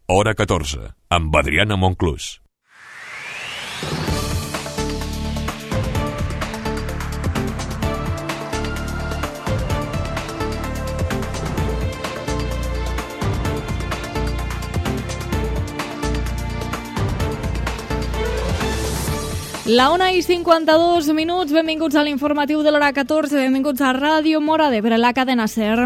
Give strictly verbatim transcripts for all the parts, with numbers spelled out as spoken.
Hora catorze, amb Adriana Monclús. La una i cinquanta-dos minuts, benvinguts a l'informatiu de l'hora catorze, benvinguts a Ràdio Móra d'Ebre, la cadena SER.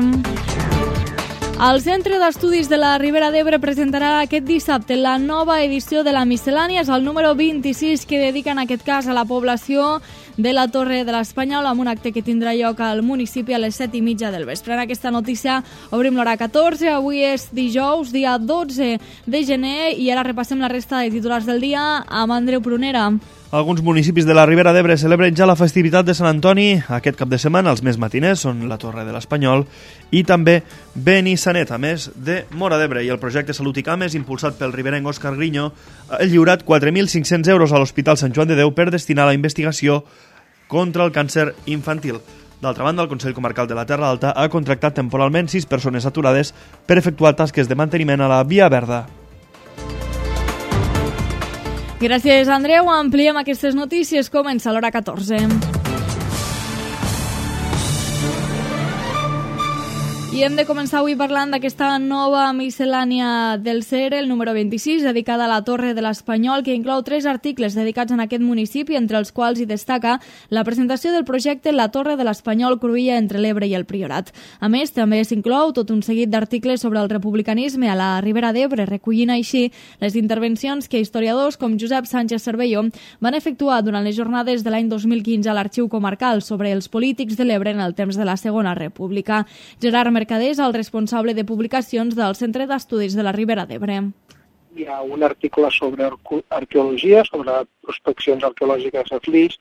El Centre d'Estudis de la Ribera d'Ebre presentarà aquest dissabte la nova edició de la Miscel·lània, és el número vint-i-sis que dedica en aquest cas a la població de la Torre de l'Espanyol, amb un acte que tindrà lloc al municipi a les set i mitja del vespre. En aquesta notícia obrim l'hora catorze, avui és dijous, dia dotze de gener, i ara repassem la resta de titulars del dia amb Andreu Prunera. Alguns municipis de la Ribera d'Ebre celebren ja la festivitat de Sant Antoni. Aquest cap de setmana els més matiners són la Torre de l'Espanyol i també Benissanet, a més de Móra d'Ebre. I el projecte Salut i Cames, impulsat pel riberenc Òscar Griño, ha lliurat quatre mil cinc-cents euros a l'Hospital Sant Joan de Déu per destinar a la investigació contra el càncer infantil. D'altra banda, el Consell Comarcal de la Terra Alta ha contractat temporalment sis persones aturades per efectuar tasques de manteniment a la Via Verda. Gràcies, Andreu. Ampliem aquestes notícies. Comença l'hora catorze. I hem de començar avui parlant d'aquesta nova miscel·lània del SER, el número vint-i-sis, dedicada a la Torre de l'Espanyol, que inclou tres articles dedicats en aquest municipi, entre els quals hi destaca la presentació del projecte La Torre de l'Espanyol cruïlla entre l'Ebre i el Priorat. A més, també s'inclou tot un seguit d'articles sobre el republicanisme a la Ribera d'Ebre, recollint així les intervencions que historiadors com Josep Sánchez Cervelló van efectuar durant les jornades de l'any dos mil quinze a l'Arxiu Comarcal sobre els polítics de l'Ebre en el temps de la Segona República. Gerard Mercader és el responsable de publicacions del Centre d'Estudis de la Ribera d'Ebre. Hi ha un article sobre arqueologia, sobre prospeccions arqueològiques a Flix,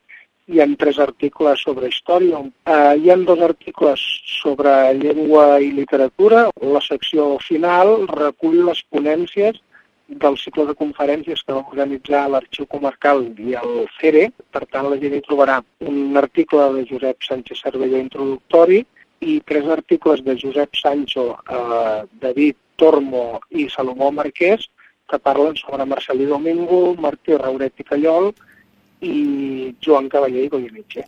hi ha tres articles sobre història, uh, hi ha dos articles sobre llengua i literatura. La secció final recull les ponències del cicle de conferències que va organitzar l'Arxiu Comarcal i el CERE. Per tant, la gent hi trobarà un article de Josep Sánchez Cervelló introductori i tres articles de Josep Sancho, eh, David Tormo i Salomó Marquès, que parlen sobre Marcelí Domingo, Martí Rauret i Callol i Joan Cavaller i Goyeneche.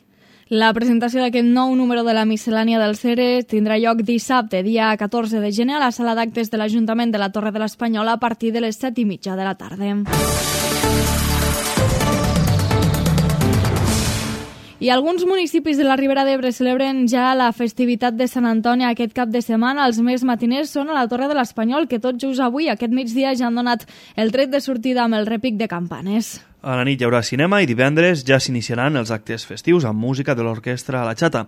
La presentació d'aquest nou número de la miscel·lània del SERE tindrà lloc dissabte, dia catorze de gener, a la sala d'actes de l'Ajuntament de la Torre de l'Espanyol a partir de les set i mitja de la tarda. I alguns municipis de la Ribera d'Ebre celebren ja la festivitat de Sant Antoni aquest cap de setmana. Els més matiners són a la Torre de l'Espanyol, que tot just avui, aquest migdia, ja han donat el tret de sortida amb el repic de campanes. A la nit hi haurà cinema i divendres ja s'iniciaran els actes festius amb música de l'orquestra a la Xata.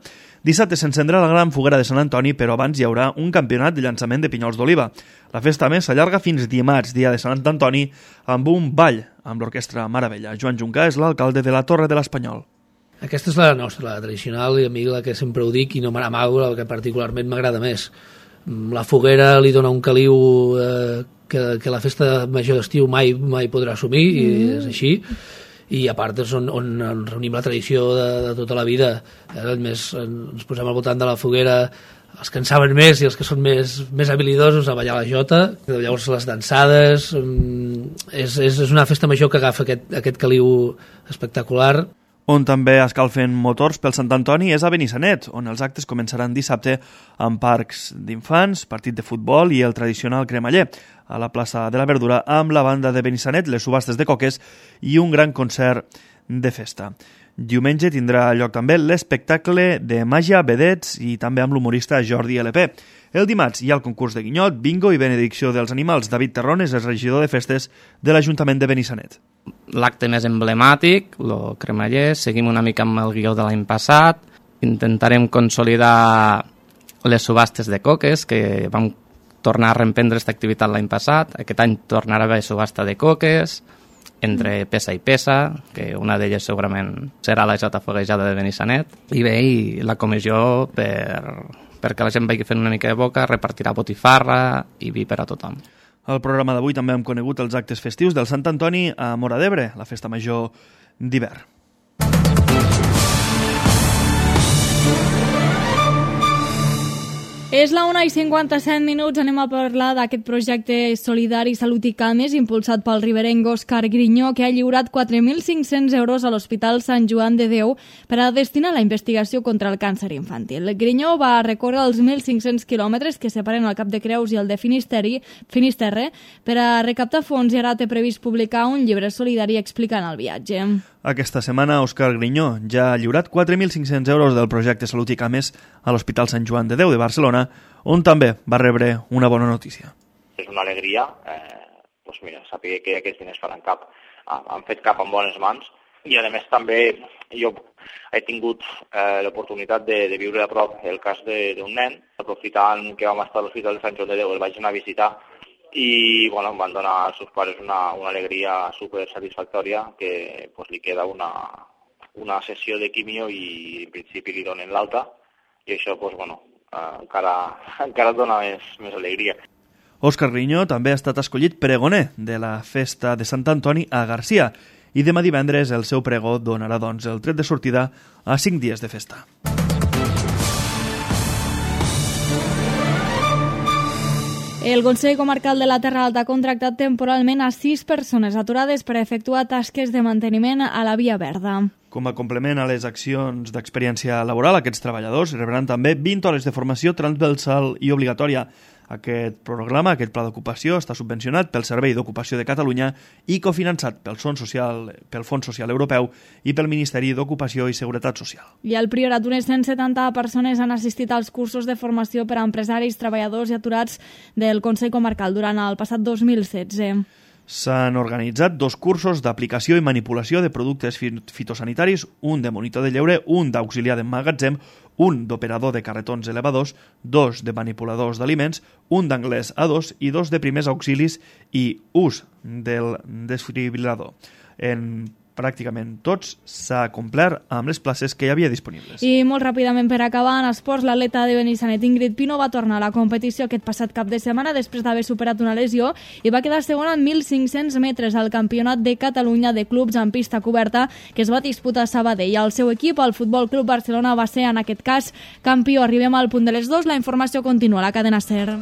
Dissabte s'encendrà la gran foguera de Sant Antoni, però abans hi haurà un campionat de llançament de pinyols d'oliva. La festa, a més, s'allarga fins dimarts, dia de Sant Antoni, amb un ball amb l'orquestra Maravella. Joan Juncà és l'alcalde de la Torre de l'Espanyol. Aquesta és la nostra, la tradicional, i a mi la que sempre ho dic i no me n'amago, la que particularment m'agrada més. La foguera li dona un caliu eh, que, que la festa major d'estiu mai, mai podrà assumir, mm. i és així. I a part és on, on reunim la tradició de, de tota la vida. Eh, més, ens posem al voltant de la foguera els que en saben més i els que són més, més habilidosos a ballar la jota. Llavors les dansades, és, és, és una festa major que agafa aquest, aquest caliu espectacular. On també escalfen motors pel Sant Antoni és a Benissanet, on els actes començaran dissabte amb parcs d'infants, partit de futbol i el tradicional cremaller. A la plaça de la Verdura amb la banda de Benissanet, les subhastes de coques i un gran concert de festa. Diumenge tindrà lloc també l'espectacle de màgia, vedets i també amb l'humorista Jordi L P. El dimarts hi ha el concurs de guinyot, bingo i benedicció dels animals. David Terrones és regidor de festes de l'Ajuntament de Benissanet. L'acte més emblemàtic, el cremaller, seguim una mica amb el guió de l'any passat, intentarem consolidar les subhastes de coques, que vam tornar a reemprendre aquesta activitat l'any passat. Aquest any tornarà a haver subhasta de coques, entre peça i peça, que una d'elles segurament serà la jota foguejada de Benissanet. I bé, i la comissió, per, perquè la gent vagi fent una mica de boca, repartirà botifarra i vi per a tothom. Al programa d'avui també hem conegut els actes festius del Sant Antoni a Móra d'Ebre, la festa major d'hivern. És la una i cinquanta-set minuts, anem a parlar d'aquest projecte solidari Salut i Cames impulsat pel riberenc Òscar Griñó, que ha lliurat quatre mil cinc-cents euros a l'Hospital Sant Joan de Déu per a destinar a la investigació contra el càncer infantil. Griñó va recórrer els mil cinc-cents quilòmetres que separen el Cap de Creus i el de Finisteri, Finisterre per a recaptar fons i ara té previst publicar un llibre solidari explicant el viatge. Aquesta setmana, Òscar Griñó ja ha lliurat quatre mil cinc-cents euros del projecte Salut i Cames a l'Hospital Sant Joan de Déu de Barcelona, on també va rebre una bona notícia. És una alegria, eh, doncs mira, saber que aquests diners faran cap, han fet cap en bones mans, i a més també jo he tingut eh, l'oportunitat de, de viure a prop el cas d'un nen, aprofitant que vam estar a l'Hospital de Sant Joan de Déu, el vaig anar a visitar, i bueno, em van donar als seus pares una, una alegria super satisfactòria que pues, li queda una, una sessió de quimio i en principi li donen l'alta i això pues, bueno, eh, encara, encara dona més, més alegria. Òscar Griñó també ha estat escollit pregoner de la festa de Sant Antoni a Garcia i demà divendres el seu pregó donarà doncs el tret de sortida a cinc dies de festa. El Consell Comarcal de la Terra Alta ha contractat temporalment a sis persones aturades per efectuar tasques de manteniment a la Via Verda. Com a complement a les accions d'experiència laboral, aquests treballadors rebran també vint hores de formació transversal i obligatòria. Aquest programa, aquest pla d'ocupació, està subvencionat pel Servei d'Ocupació de Catalunya i cofinançat pel Fons Social, pel Fons Social Europeu i pel Ministeri d'Ocupació i Seguretat Social. I al Priorat, unes cent setanta persones han assistit als cursos de formació per a empresaris, treballadors i aturats del Consell Comarcal durant el passat dos mil setze. S'han organitzat dos cursos d'aplicació i manipulació de productes fitosanitaris, un de monitor de lleure, un d'auxiliar de magatzem, un d'operador de carretons elevadors, dos de manipuladors d'aliments, un d'anglès A dos i dos de primers auxilis i ús del desfibrilador. En pràcticament tots s'ha complert amb les places que hi havia disponibles. I molt ràpidament per acabar, en esports, l'atleta de Benissanet Ingrid Pino va tornar a la competició aquest passat cap de setmana després d'haver superat una lesió i va quedar segona en mil cinc-cents metres al Campionat de Catalunya de clubs en pista coberta que es va disputar a Sabadell. El seu equip, el Futbol Club Barcelona, va ser en aquest cas campió. Arribem al punt de les dues, la informació continua a la cadena SER.